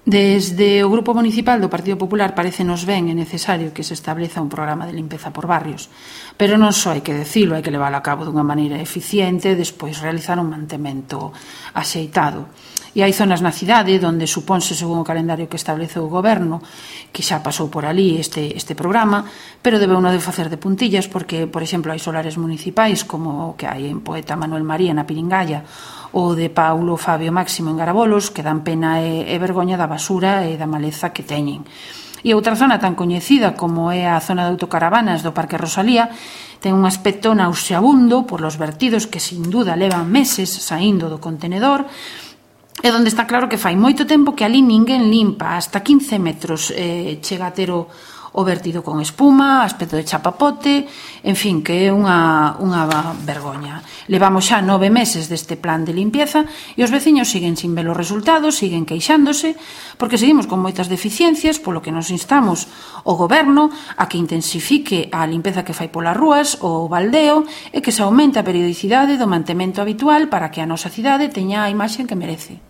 Desde o Grupo Municipal do Partido Popular parecenos ben e necesario que se estableza un programa de limpeza por barrios, pero non só hai que decilo, hai que leválo a cabo dunha maneira eficiente e despois realizar un mantemento axeitado. E hai zonas na cidade onde supónse, según o calendario que estableceu o Goberno, que xa pasou por ali este programa, pero debe uno de facer de puntillas porque, por exemplo, hai solares municipais como o que hai en Poeta Manuel María na Piringalla ou de Paulo Fabio Máximo en Garabolos, que dan pena e vergoña da basura e da maleza que teñen. E outra zona tan coñecida como é a zona de autocaravanas do Parque Rosalía ten un aspecto nauseabundo por los vertidos que sin duda levan meses saindo do contenedor e onde está claro que fai moito tempo que ali ninguén limpa, hasta 15 metros chega a ter o vertido con espuma, aspecto de chapapote, en fin, que é unha vergoña. Levamos xa 9 meses deste plan de limpieza e os veciños siguen sin ver os resultados, siguen queixándose, porque seguimos con moitas deficiencias, polo que nos instamos o Goberno a que intensifique a limpeza que fai polas rúas, o baldeo, e que se aumente a periodicidade do mantemento habitual para que a nosa cidade teña a imaxe que merece.